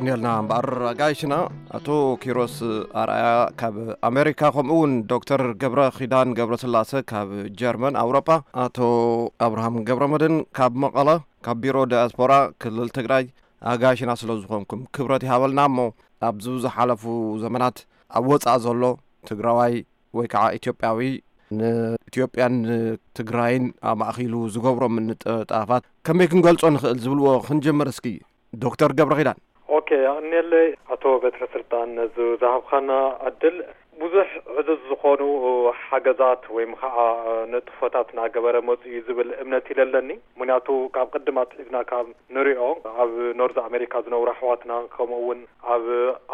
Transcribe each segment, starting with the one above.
ኔልና እምበኣር ኣጋይሽና፣ ኣቶ ኪሮስ ኣርኣያ ካብ ኣሜሪካ፣ ከምኡ እውን ዶክተር ገብረ ኪዳን ገብረ ስላሰ ካብ ጀርመን ኣውሮጳ፣ ኣቶ ኣብርሃም ገብረ መድን ካብ መቐለ፣ ካብ ቢሮ ዳያስፖራ ክልል ትግራይ ኣጋይሽና ስለ ዝኾንኩም ክብረት ይሃበልና። እሞ ኣብዚ ዝሓለፉ ዘመናት ኣብ ወፃእ ዘሎ ትግራዋይ ወይ ከዓ ኢትዮጵያዊ ንኢትዮጵያን ንትግራይን ኣማእኪሉ ዝገብሮ ምንጥጣፋት ከመይ ክንገልጾ ንኽእል ዝብልዎ ክንጀምር እስኪ። ዶክተር ገብረ ኪዳን። ኦኬ፣ ኣቕንየለይ ኣቶ በትረ ስልጣን ነዚ ዝሃብካና ዕድል። ብዙሕ ዕዙዝ ዝኾኑ ሓገዛት ወይም ከዓ ንጥፎታት እናገበረ መፁ እዩ ዝብል እምነት ይለለኒ። ምክንያቱ ካብ ቅድም ኣትሒዝና ካብ ንሪኦ ኣብ ኖርዝ ኣሜሪካ ዝነብሩ ኣሕዋትና፣ ከምኡ እውን ኣብ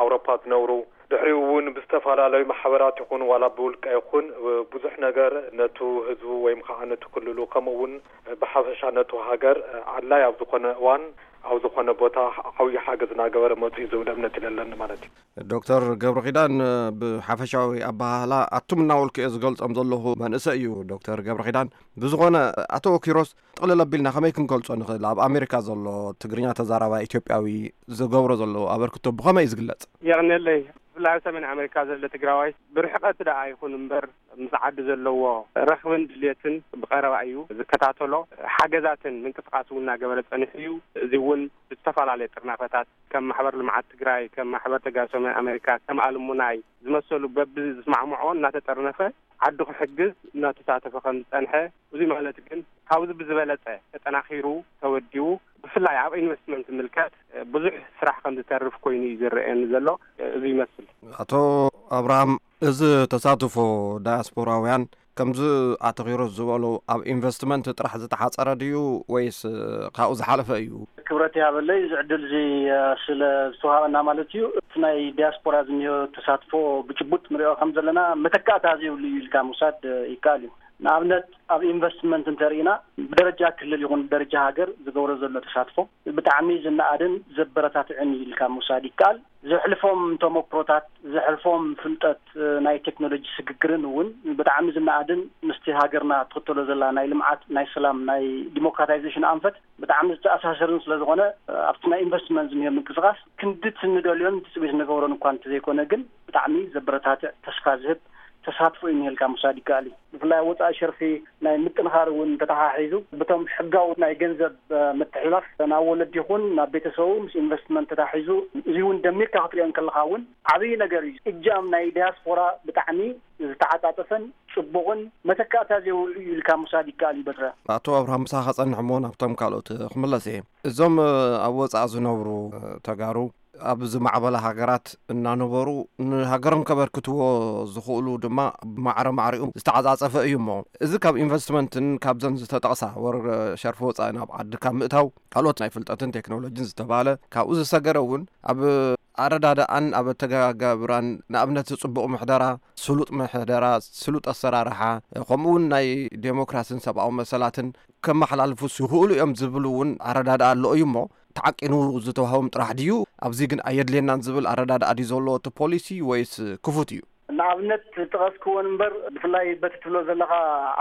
ኣውሮፓ ዝነብሩ፣ ድሕሪኡ እውን ብዝተፈላለዩ ማሕበራት ይኹን ዋላ ብውልቀ ይኹን ብዙሕ ነገር ነቱ ህዝቡ ወይም ከዓ ነቱ ክልሉ ከምኡ እውን ብሓፈሻ ነቱ ሃገር ኣድላይ ኣብ ዝኾነ እዋን ኣብ ዝኾነ ቦታ ዓብዪ ሓገዝ እናገበረ መፁ እዩ ዝብል እምነት ይለለኒ ማለት እዩ። ዶክተር ገብረ ኪዳን፣ ብሓፈሻዊ ኣበሃህላ ኣቱም እናበልኩ እየ ዝገልጾም ዘለኹ መንእሰይ እዩ ዶክተር ገብረ ኪዳን። ብዝኾነ ኣቶ ኪሮስ፣ ጥቕልል ኣቢልና ከመይ ክንገልጾ ንኽእል? ኣብ ኣሜሪካ ዘሎ ትግርኛ ተዛራባይ ኢትዮጵያዊ ዝገብሮ ዘሎ ኣበርክቶ ብኸመይ እዩ ዝግለጽ? የቕንየለይ። ብፍላይ ኣብ ሰሜን ኣሜሪካ ዘሎ ትግራዋይ ብርሕቀት ደኣ ይኹን እምበር ምስ ዓዲ ዘለዎ ረኽብን ድልየትን ብቐረባ እዩ ዝከታተሎ። ሓገዛትን ምንቅስቃስ እውን እናገበረ ጸኒሑ እዩ። እዚ እውን ብዝተፈላለየ ጥርናፈታት ከም ማሕበር ልምዓት ትግራይ፣ ከም ማሕበር ተጋሩ ሰሜን ኣሜሪካ፣ ከም ኣልሙናይ ዝመሰሉ በብዝስማዕምዖ እናተጠርነፈ ዓዱ ክሕግዝ እናተሳተፈ ከም ዝጸንሐ፣ እዚ ማለት ግን ካብዚ ብዝበለጸ ተጠናኺሩ ተወዲቡ ብፍላይ ኣብ ኢንቨስትመንት ዝምልከት ብዙሕ ስራሕ ከም ዝተርፍ ኮይኑ እዩ ዝረኣየኒ ዘሎ። እዚ ይመስል። ኣቶ ኣብርሃም፣ እዚ ተሳትፎ ዳያስፖራውያን ከምዚ ኣቶ ኪሮስ ዝበሎ ኣብ ኢንቨስትመንት ጥራሕ ዝተሓጸረ ድዩ ወይስ ካብኡ ዝሓለፈ እዩ? ክብረት ይሃበለይ፣ እዚ ዕድል እዚ ስለ ዝተዋሃበና ማለት እዩ። እቲ ናይ ዲያስፖራ ዝኒኦ ተሳትፎ ብጭቡጥ ንሪኦ ከም ዘለና መተካእታ ዘይብሉ እዩ ኢልካ ምውሳድ ይከኣል እዩ። ንኣብነት ኣብ ኢንቨስትመንት እንተርኢና ብደረጃ ክልል ይኹን ብደረጃ ሃገር ዝገብሮ ዘሎ ተሳትፎ ብጣዕሚ ዝነኣድን ዘበረታትዕን እዩ ኢልካ ምውሳድ ይከኣል። ዘሕልፎም ተመክሮታት፣ ዘሕልፎም ፍልጠት፣ ናይ ቴክኖሎጂ ስግግርን እውን ብጣዕሚ ዝነኣድን ምስቲ ሃገርና ትኽተሎ ዘላ ናይ ልምዓት፣ ናይ ሰላም፣ ናይ ዲሞክራታይዜሽን ኣንፈት ብጣዕሚ ዝተኣሳሰርን ስለ ዝኾነ ኣብቲ ናይ ኢንቨስትመንት ዝኒኦ ምንቅስቃስ ክንዲ እቲ ንደልዮን ትፅቢት ንገብሮን እኳ እንተዘይኮነ ግን ብጣዕሚ ዘበረታትዕ ተስፋ ዝህብ ተሳትፎ እዩ ንሄልካ ምውሳድ ይከኣል እዩ። ብፍላይ ኣብ ወፃኢ ሸርፊ ናይ ምጥንኻር እውን ተተሓሒዙ ብቶም ሕጋዊ ናይ ገንዘብ ምትሕልላፍ ናብ ወለዲ ይኹን ናብ ቤተሰቡ ምስ ኢንቨስትመንት ተታሒዙ እዚ እውን ደሚርካ ክትሪኦ እንከለካ እውን ዓብዪ ነገር እዩ። እጃም ናይ ዲያስፖራ ብጣዕሚ ዝተዓጻጸፈን ጽቡቕን መተካእታ ዘይብሉ እዩ ኢልካ ምውሳድ ይከኣል እዩ በትረ። ኣቶ ኣብርሃም ምሳኻ ጸንሕ እሞ ናብቶም ካልኦት ክምለስ እየ። እዞም ኣብ ወጻኢ ዝነብሩ ተጋሩ ኣብ ዝማዕበላ ሃገራት እናነበሩ ንሃገሮም ከበርክትዎ ዝኽእሉ ድማ ብማዕረ ማዕሪኡ ዝተዓጻጸፈ እዩ እሞ እዚ ካብ ኢንቨስትመንትን ካብዘን ዝተጠቕሳ ወር ሸርፊ ወጻኢ ናብ ዓዲ ካብ ምእታው ካልኦት ናይ ፍልጠትን ቴክኖሎጂን ዝተባለ ካብኡ ዝሰገረ እውን ኣብ ኣረዳድኣን ኣብ ኣተገባብራን ንኣብነት ጽቡቕ ምሕደራ፣ ስሉጥ ምሕደራ፣ ስሉጥ ኣሰራርሓ ከምኡ እውን ናይ ዴሞክራስን ሰብኣዊ መሰላትን ከመሓላልፉስ ይኽእሉ እዮም ዝብል እውን ኣረዳድኣ ኣሎ እዩ እሞ ተዓቂኑ ዝተዋህቦም ጥራሕ ድዩ? ኣብዚ ግን ኣየድልየናን ዝብል ኣረዳድኣ ድዩ ዘለዎ እቲ ፖሊሲ ወይስ ክፉት እዩ? ንኣብነት ጠቐስክወን እምበር ብፍላይ በቲ ትብሎ ዘለኻ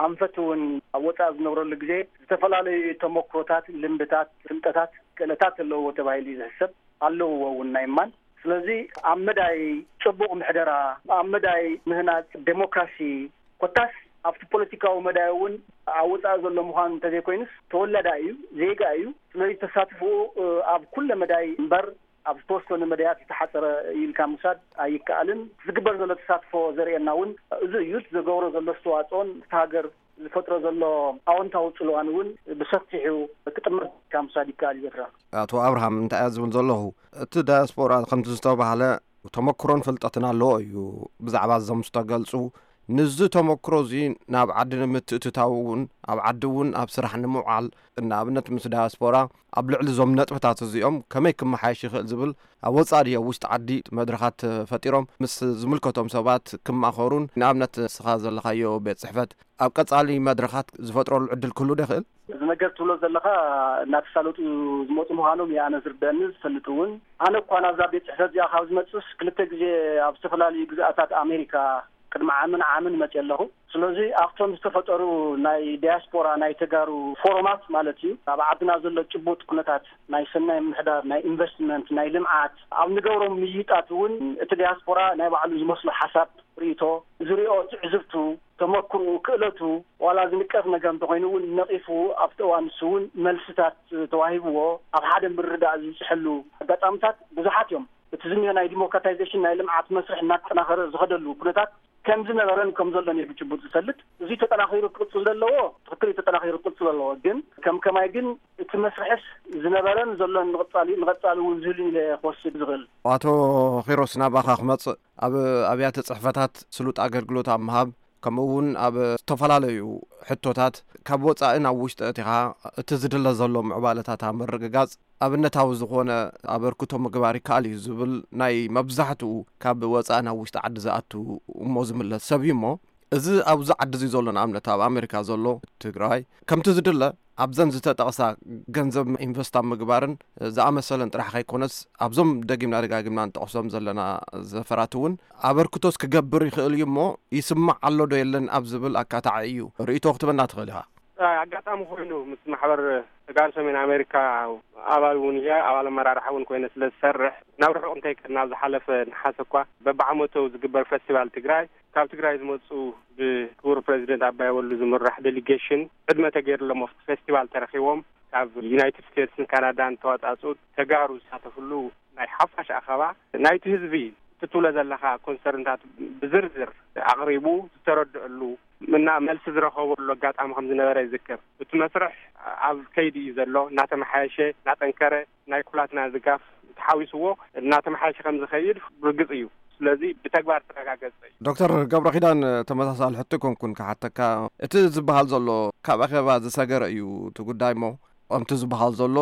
ኣንፈት እውን ኣብ ወፃኢ ዝነብረሉ ግዜ ዝተፈላለዩ ተመክሮታት፣ ልምድታት፣ ፍልጠታት፣ ክእለታት ኣለዎ ተባሂሉ እዩ ዝሕሰብ። ኣለዎ እውን ናይ እማን ስለዚ ኣብ መዳይ ፅቡቕ ምሕደራ ኣብ መዳይ ምህናፅ ዴሞክራሲ ኮታስ ኣብቲ ፖለቲካዊ መዳይ እውን ኣብ ወፃኢ ዘሎ ምዃኑ እንተዘይኮይኑስ ተወላዳ እዩ ዜጋ እዩ ስለዚ ተሳትፍኡ ኣብ ኩለ መዳይ እምበር ኣብ ዝተወሰኑ መዳያት ዝተሓፀረ እዩ ኢልካ ምውሳድ ኣይከኣልን ዝግበር ዘሎ ተሳትፎ ዘርእየና እውን እዚ እዩ ዝገብሮ ዘሎ ኣስተዋፅኦን እቲ ሃገር ዝፈጥሮ ዘሎ ኣወንታዊ ፅልዋን እውን ብሰፊሑ ክጥመር ኢልካ ምውሳድ ይከኣል እዩ በትራ። ኣቶ ኣብርሃም እንታይ እየ ዝብል ዘለኹ እቲ ዳያስፖራ ከምቲ ዝተባህለ ተመክሮን ፍልጠትን ኣለዎ እዩ ብዛዕባ እዞም ዝተገልፁ ንዚ ተመክሮ እዚ ናብ ዓዲ ንምትእትታው እውን ኣብ ዓዲ እውን ኣብ ስራሕ ንምውዓል ንኣብነት ምስ ዳያስፖራ ኣብ ልዕሊ እዞም ነጥብታት እዚኦም ከመይ ክመሓየሽ ይኽእል ዝብል ኣብ ወፃኢ ድዮ ውሽጢ ዓዲ መድረኻት ፈጢሮም ምስ ዝምልከቶም ሰባት ክማኸሩን ንኣብነት ንስኻ ዘለኻዮ ቤት ፅሕፈት ኣብ ቀፃሊ መድረኻት ዝፈጥረሉ ዕድል ክህሉ ዶ ይኽእል? እዚ ነገር ትብሎ ዘለኻ እናተሳለጡ ዝመፁ ምዃኖም እዩ ኣነ ዝርደአኒ ዝፈልጥ እውን ኣነ እኳ ናብዛ ቤት ፅሕፈት እዚኣ ካብ ዝመፅስ ክልተ ግዜ ኣብ ዝተፈላለዩ ግዝኣታት ኣሜሪካ ቅድሚ ዓምን ዓምን መፅእ ኣለኹ። ስለዚ ኣብቶም ዝተፈጠሩ ናይ ዲያስፖራ ናይ ተጋሩ ፎረማት ማለት እዩ፣ ኣብ ዓድና ዘሎ ጭቡጥ ኩነታት ናይ ሰናይ ምምሕዳር፣ ናይ ኢንቨስትመንት፣ ናይ ልምዓት ኣብ ንገብሮም ምይይጣት እውን እቲ ዲያስፖራ ናይ ባዕሉ ዝመስሎ ሓሳብ፣ ርእይቶ፣ ዝሪኦ ትዕዝብቱ፣ ተመክርኡ፣ ክእለቱ፣ ዋላ ዝንቀፍ ነገር እንተኾይኑ እውን ነቒፉ ኣብቲ እዋን ንሱ እውን መልስታት ተዋሂብዎ ኣብ ሓደ ምርዳእ ዝብፅሐሉ ኣጋጣምታት ብዙሓት እዮም። እቲ ዝኒሆ ናይ ዲሞክራታይዜሽን ናይ ልምዓት መስርሕ እናተጠናኸረ ዝኸደሉ ኩነታት ከም ዝነበረን ከም ዘሎን እዩ ብጭቡጥ ዝፈልጥ። እዚ ተጠናኺሩ ክቕፅል ዘለዎ ትኽክል እዩ፣ ተጠናኺሩ ክቕፅል ዘለዎ ግን ከም ከማይ ግን እቲ መስርሕስ ዝነበረን ዘሎን ንቐፃሊ ንቐፃሊ እውን ዝህሉ ኢለ ክወስድ ዝኽእል። ኣቶ ኺሮስ ናባኻ ክመፅእ ኣብ ኣብያተ ፅሕፈታት ስሉጥ ኣገልግሎት ኣብ ምሃብ ከምኡ እውን ኣብ ዝተፈላለዩ ሕቶታት ካብ ወፃኢ ናብ ውሽጢ እቲኻ እቲ ዝድለ ዘሎ ምዕባለታት ኣብ ምርግጋፅ ኣብነታዊ ዝኾነ ኣበርክቶ ምግባር ይከኣል እዩ ዝብል ናይ መብዛሕትኡ ካብ ወፃኢ ናብ ውሽጢ ዓዲ ዝኣቱ እሞ ዝምለስ ሰብ እዩ እሞ እዚ ኣብዚ ዓዲ እዚ ዘሎ ንኣብነት ኣብ ኣሜሪካ ዘሎ ትግራይ ከምቲ ዝድለ ኣብዘን ዝተጠቕሳ ገንዘብ ኢንቨስት ኣብ ምግባርን ዝኣመሰለን ጥራሕ ከይኮነስ ኣብዞም ደጊምና ደጋጊምና ንጠቕሶም ዘለና ዘፈራት እውን ኣበርክቶስ ክገብር ይኽእል እዩ እሞ ይስማዕ ኣሎ ዶ የለን ኣብ ዝብል ኣካታዒ እዩ ርእይቶ ክትበና ትኽእል ኢኻ። ኣጋጣሚ ኮይኑ ምስ ማሕበር ተጋሩ ሰሜን ኣሜሪካ ኣባል እውን እየ፣ ኣባል ኣመራርሓ እውን ኮይነ ስለ ዝሰርሕ ናብ ርሑቕ እንተይከድና ኣብ ዝሓለፈ ነሓሰ እኳ በብዓመቱ ዝግበር ፈስቲቫል ትግራይ ካብ ትግራይ ዝመፁ ብክቡር ፕሬዚደንት ኣባይ ወሉ ዝምራሕ ዴሊጌሽን ዕድመ ተገይርሎም ኣብቲ ፌስቲቫል ተረኪቦም ካብ ዩናይትድ ስቴትስን ካናዳን ተዋፃፅኡ ተጋሩ ዝሳተፍሉ ናይ ሓፋሽ ኣኸባ ናይቲ ህዝቢ ትትብሎ ዘለኻ ኮንሰርንታት ብዝርዝር ኣቕሪቡ ዝተረድአሉ እና መልሲ ዝረኸበሉ ኣጋጣሚ ከም ዝነበረ ይዝክር። እቲ መስርሕ ኣብ ከይዲ እዩ ዘሎ፣ እናተመሓየሸ እናጠንከረ ናይ ኩላትና ድጋፍ ተሓዊስዎ እናተመሓየሸ ከም ዝኸይድ ርግፅ እዩ። ስለዚ ብተግባር ተረጋገፀ እዩ። ዶክተር ገብረ ኪዳን ተመሳሳሊ ሕቶ ኮንኩን ክሓተካ እቲ ዝበሃል ዘሎ ካብ ኣኼባ ዝሰገረ እዩ እቲ ጉዳይ እሞ ከምቲ ዝበሃል ዘሎ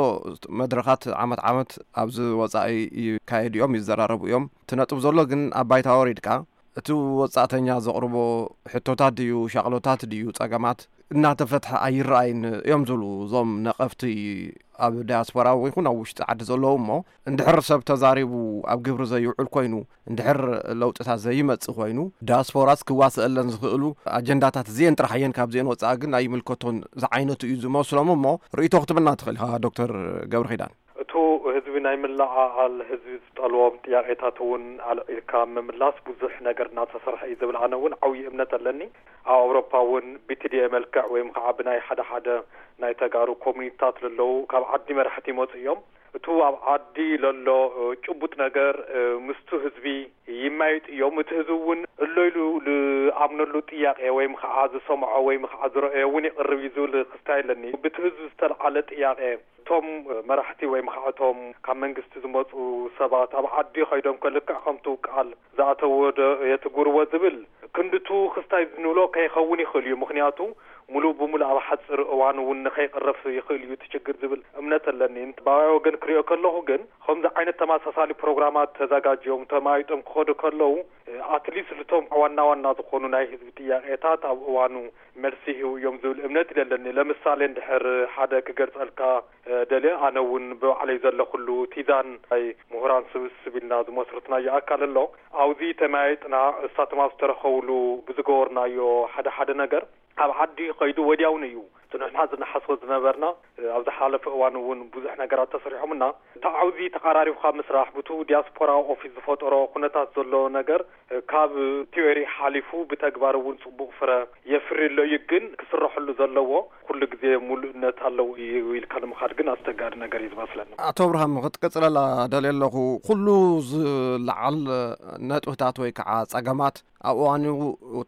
መድረኻት ዓመት ዓመት ኣብዚ ወፃኢ ይካየዱ እዮም ይዘራረቡ እዮም እቲ ነጥብ ዘሎ ግን ኣብ ባይታ ወሪድካ እቲ ወጻእተኛ ዘቕርቦ ሕቶታት ድዩ ሻቕሎታት ድዩ ጸገማት እናተፈትሐ ኣይረኣይን እዮም ዝብሉ እዞም ነቐፍቲ ኣብ ዳያስፖራ ይኹን ኣብ ውሽጢ ዓዲ ዘለዉ እሞ እንድሕር ሰብ ተዛሪቡ ኣብ ግብሪ ዘይውዕል ኮይኑ እንድሕር ለውጥታት ዘይመጽእ ኮይኑ ዳያስፖራስ ክዋስአለን ዝኽእሉ ኣጀንዳታት እዚአን ጥራሕ እየን ካብዚአን ወጻኢ ግን ኣይምልከቶን ዝዓይነቱ እዩ ዝመስሎም እሞ ርእይቶ ክትብልና ትኽእል ኢኻ ዶክተር ገብረ ኺዳን። እቱ ህዝቢ ናይ ምልዓዓል ህዝቢ ዝጠልቦም ጥያቄታት እውን ኣልዒልካ ምምላስ ብዙሕ ነገር እናተሰርሐ እዩ ዝብል ኣነ እውን ዓብዪ እምነት ኣለኒ። ኣብ ኣውሮፓ እውን ብትድኤ መልክዕ ወይም ከዓ ብናይ ሓደ ሓደ ናይ ተጋሩ ኮሚኒቲታት ለለዉ ካብ ዓዲ መራሕቲ ይመፁ እዮም። እቱ ኣብ ዓዲ ለሎ ጭቡጥ ነገር ምስቱ ህዝቢ ይማይጡ እዮም። እቲ ህዝቢ እውን እሎ ኢሉ ዝኣምነሉ ጥያቄ ወይም ከዓ ዝሰምዖ ወይም ከዓ ዝረአዮ እውን ይቕርብ እዩ ዝብል ክስታይ ኣለኒ። ብቲ ህዝቢ ዝተልዓለ ጥያቄ እቶም መራሕቲ ወይም ከዓ እቶም ካብ መንግስቲ ዝመፁ ሰባት ኣብ ዓዲ ከይዶም ከልክዕ ከምቱ ቃል ዝኣተዎ ዶ የትግብርዎ ዝብል ክንድቱ ክስታይ ዝንብሎ ከይኸውን ይኽእል እዩ። ምኽንያቱ ሙሉእ ብሙሉእ ኣብ ሓፂር እዋን እውን ንኸይቕረፍ ይኽእል እዩ እቲ ችግር ዝብል እምነት ኣለኒ። ባባይ ወገን ክሪኦ ከለኹ ግን ከምዚ ዓይነት ተመሳሳሊ ፕሮግራማት ተዘጋጅዮም ተማይጦም ክኸዱ ከለዉ ኣትሊስት ልቶም ዋና ዋና ዝኾኑ ናይ ህዝቢ ጥያቄታት ኣብ እዋኑ መልሲ ይህቡ እዮም ዝብል እምነት ኣለኒ። ለምሳሌ እንድሕር ሓደ ክገልጸልካ ደልየ ኣነ እውን ብባዕለይ ዘለኹሉ ቲዛን ናይ ምሁራን ስብስብ ኢልና ዝመስርትናዮ ኣካል ኣሎ። ኣብዚ ተመያይጥና እሳቶም ኣብ ዝተረኸብሉ ብዝገበርናዮ ሓደ ሓደ ነገር ኣብ ዓዲ ከይዱ ወዲያውኑ እዩ እቲ ንሕና ዝነሓስቦ ዝነበርና። ኣብ ዝሓለፈ እዋን እውን ብዙሕ ነገራት ተሰሪሖምና። እቲ ዓውዚ ተቐራሪብካ ምስራሕ ብቱ ዲያስፖራ ኦፊስ ዝፈጠሮ ኩነታት ዘሎ ነገር ካብ ቲዮሪ ሓሊፉ ብተግባር እውን ፅቡቕ ፍረ የፍሪ ኣሎ እዩ። ግን ክስረሐሉ ዘለዎ ኩሉ ግዜ ሙሉእነት ኣለዎ እዩ ኢልካ ንምኻድ ግን ኣስቸጋሪ ነገር እዩ ዝመስለኒ። ኣቶ ኣብርሃም ክትቅፅለላ ደልየ ኣለኹ። ኩሉ ዝለዓል ነጥብታት ወይ ከዓ ፀገማት ኣብ እዋኑ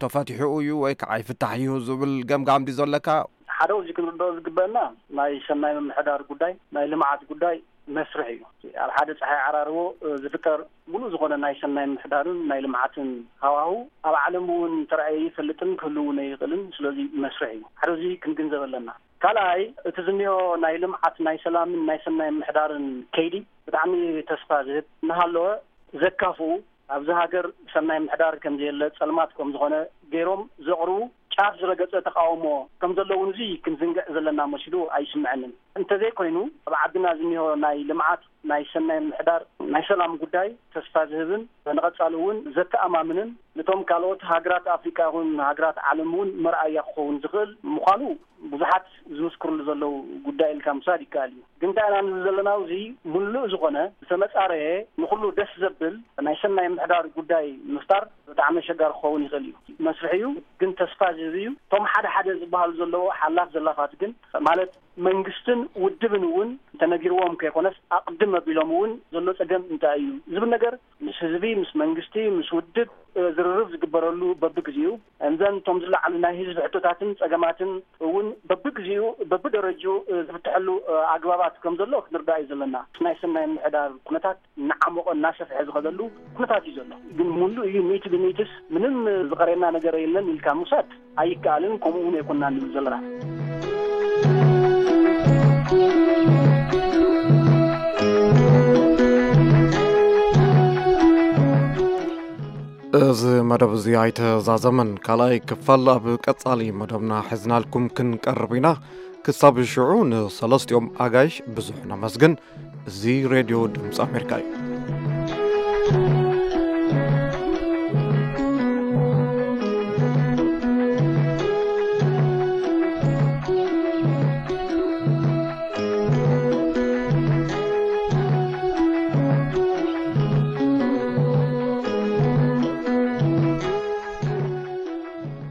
ተፈቲሑ እዩ ወይ ከዓ ይፍታሕ እዩ ዝብል ገምጋም ድዩ ዘለካ? ሓደ እዚ ክንርድኦ ዝግበአና ናይ ሰናይ ምምሕዳር ጉዳይ ናይ ልምዓት ጉዳይ መስርሕ እዩ። ኣብ ሓደ ፀሓይ ዓራርቦ ዝፍጠር ሙሉእ ዝኾነ ናይ ሰናይ ምምሕዳርን ናይ ልምዓትን ሃዋሁ ኣብ ዓለም እውን ተራእየ ይፈልጥን ክህልውን ኣይኽእልን። ስለዚ መስርሕ እዩ። ሓደ እዚ ክንግንዘብ ኣለና። ካልኣይ እቲ ዝኒኦ ናይ ልምዓት ናይ ሰላምን ናይ ሰናይ ምምሕዳርን ከይዲ ብጣዕሚ ተስፋ ዝህብ እናሃለወ ዘካፍኡ ኣብዚ ሃገር ሰናይ ምምሕዳር ከምዘየለ ፀልማት ከምዝኾነ ገይሮም ዘቕርቡ ጫፍ ዝረገፀ ተቃውሞ ከምዘለውን እዚ ክንዝንግዕ ዘለና መሲሉ ኣይስምዐንን። እንተዘይኮይኑ ኣብ ዓድና ዝኒሆ ናይ ልምዓት ናይ ሰናይ ምሕዳር ናይ ሰላም ጉዳይ ተስፋ ዝህብን ንቐጻሊ እውን ዘተኣማምንን፣ ነቶም ካልኦት ሃገራት ኣፍሪቃ ይኹን ሃገራት ዓለም እውን መርኣያ ክኸውን ዝኽእል ምዃኑ ብዙሓት ዝምስክርሉ ዘለዉ ጉዳይ ኢልካ ምውሳድ ይከኣል እዩ። ግን እንታይ ኢና ንብል ዘለና? እዚ ምሉእ ዝኾነ ዝተመጻረየ ንኹሉ ደስ ዘብል ናይ ሰናይ ምሕዳር ጉዳይ ምፍጣር ብጣዕሚ ኣሸጋሪ ክኸውን ይኽእል እዩ። መስርሕ እዩ፣ ግን ተስፋ ዝህብ እዩ። እቶም ሓደ ሓደ ዝበሃሉ ዘለዉ ሓላፍ ዘላፋት ግን፣ ማለት መንግስትን ውድብን እውን እንተነጊርዎም ከይኮነስ ኣቕድም ኣቢሎም እውን ዘሎ ጸገም እንታይ እዩ ዝብል ነገር ምስ ህዝቢ፣ ምስ መንግስቲ፣ ምስ ውድብ ዝርርብ ዝግበረሉ በብግዜኡ፣ እምዘን እቶም ዝለዓሉ ናይ ህዝቢ ሕቶታትን ጸገማትን እውን በብግዜኡ በብደረጅኡ ዝፍትሐሉ ኣግባባት ከም ዘሎ ክንርዳእ እዩ ዘለና። ናይ ሰናይ ምሕዳር ኩነታት እናዓሞቐ እናሰፍሐ ዝኸደሉ ኩነታት እዩ ዘሎ። ግን ሙሉእ እዩ ሚእቲ ብሚእትስ ምንም ዝቐረየና ነገር የለን ኢልካ ምውሳድ ኣይከኣልን፣ ከምኡ እውን ኣይኮንና ንብል ዘለና። እዚ መደብ እዚ ኣይተዛዘመን። ካልኣይ ክፋል ኣብ ቀጻሊ መደብና ሒዝናልኩም ክንቀርብ ኢና። ክሳብ ሽዑ ንሰለስቲኦም ኣጋይሽ ብዙሕ ነመስግን። እዚ ሬድዮ ድምፂ ኣሜሪካ እዩ።